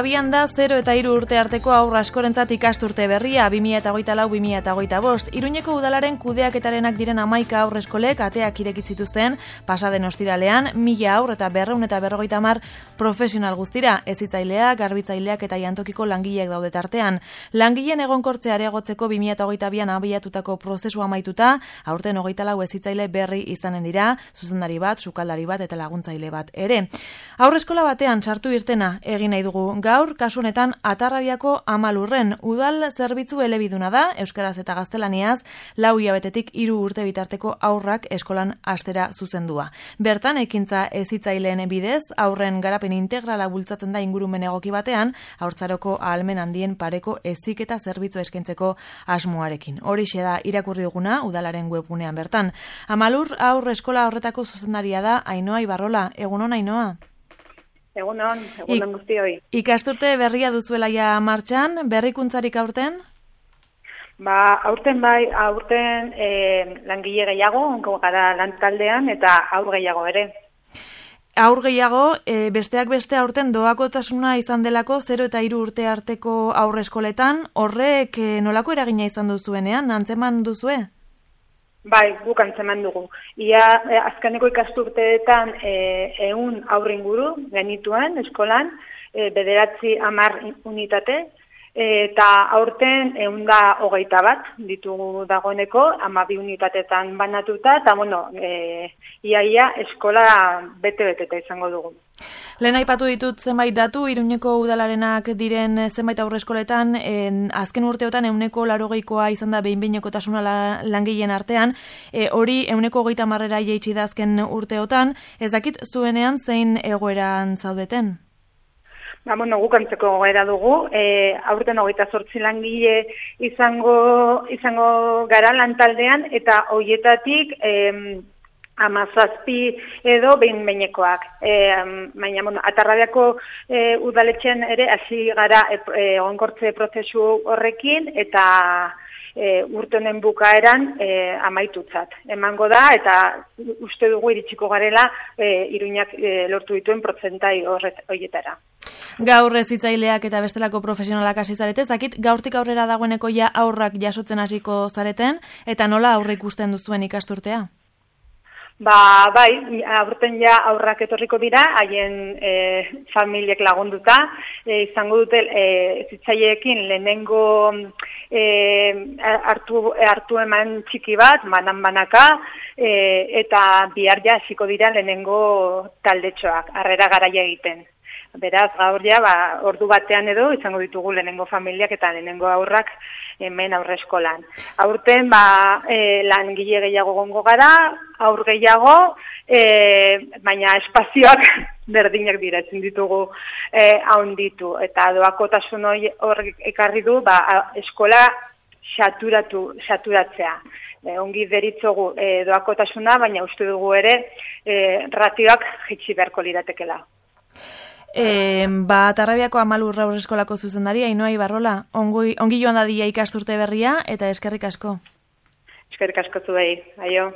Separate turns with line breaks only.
Abian da 0 eta 3 urte arteko haur askorentzat ikasturte berria 2024-2025. Iruñeko udalaren kudeaketarenak diren 11 haur eskolek ateak ireki zituzten pasaden ostiralean 1000 haur eta 250 profesional guztira, hezitzaileak, garbitzaileak eta jantokiko langileak daude tartean. Langileen egonkortzea areagotzeko 2022an abiatutako prozesua amaituta, aurten 24 hezitzaile berri izanen dira, zuzendari bat, sukaldari bat eta laguntzaile bat ere. Haur eskola batean sartu irtena egin nahi dugu. Gaur, kasu honetan, Atarrabiako Amalurren udal zerbitzu elebiduna da, euskaraz eta gaztelaniaz, 4 hilabetetik 3 urte bitarteko haurrak eskolan astera zuzendua. Bertan, ekintza hezitzaileen bidez, haurren garapen integrala bultzatzen da ingurumen egoki batean, haurtzaroko ahalmen handien pareko heziketa zerbitzu eskaintzeko asmoarekin. Horixe da irakurri duguna udalaren webgunean bertan. Amalur haur eskola horretako zuzendaria da Ainhoa Ibarrola. Egunon, Ainhoa?
Egunon guztioi.
Ikasturte berria duzuela ja martxan, berrikuntzarik aurten?
Aurten langile gehiago, onko gara lantaldean eta haur gehiago ere.
Haur gehiago, besteak beste aurten doakotasuna izan delako 0 eta 3 urte arteko haur eskoletan, horrek nolako eragina izan duzuenean, antzeman duzue?
Bai, guk antzeman dugu. Ia azkeneko ikasturteetan 100 haur inguru genituen eskolan, 9-10 unitate, eta aurten 121 ditugu dagoeneko, 12 unitatetan banatuta, eta ia eskola bete-beteta izango dugu.
Lehen aipatu ditut zenbait datu, Iruñeko udalarenak diren zenbait aurreskoletan, azken urteotan 180koa izan da behin-behinekotasuna langileen artean, hori 130 jaitsi da azken urteotan, ez dakit zuenean zein egoeran zaudeten?
Guk antzeko egoera dugu, aurten 28 langile izango gara lantaldean, eta horietatik 17 edo behin-behinekoak. Baina, Atarrabiako udaletxean ere hasi gara egonkortze prozesu horrekin eta urte honen bukaeran amaitutzat. Emango da eta uste dugu iritsiko garela Iruñak lortu dituen protzentai horietara.
Gaur hezitzaileak eta bestelako profesionalak hasi zarete, dakit gaurtik aurrera dagoeneko ja aurrak jasotzen hasiko zareten eta nola aurre ikusten duzuen ikasturtea?
Bai, aurten ja aurrak etorriko dira, haien familiek lagunduta, izango dute hezitzaileekin lehenengo hartu eman txiki bat, banan-banaka, eta bihar ja hasiko dira lehenengo taldetxoak, harrera garaia egiten. Beraz, gaur ja, ordu batean edo, izango ditugu lehenengo familiak eta lehenengo aurrak hemen aurre eskolan. Aurten, langile gehiago gongo gara, aur gehiago, baina espazioak berdinak dira, ezin ditugu haunditu. Eta doakotasun horrek ekarri du, eskola saturatzea. Ongi deritzogu doakotasuna, baina uste dugu ere ratioak jaitsi beharko liratekela.
Atarrabiako Amalur haur eskolako zuzendaria, Ainhoa Ibarrola, ongi joan dadia ikasturte berria eta eskerrik asko.
Eskerrik asko zuei, aio.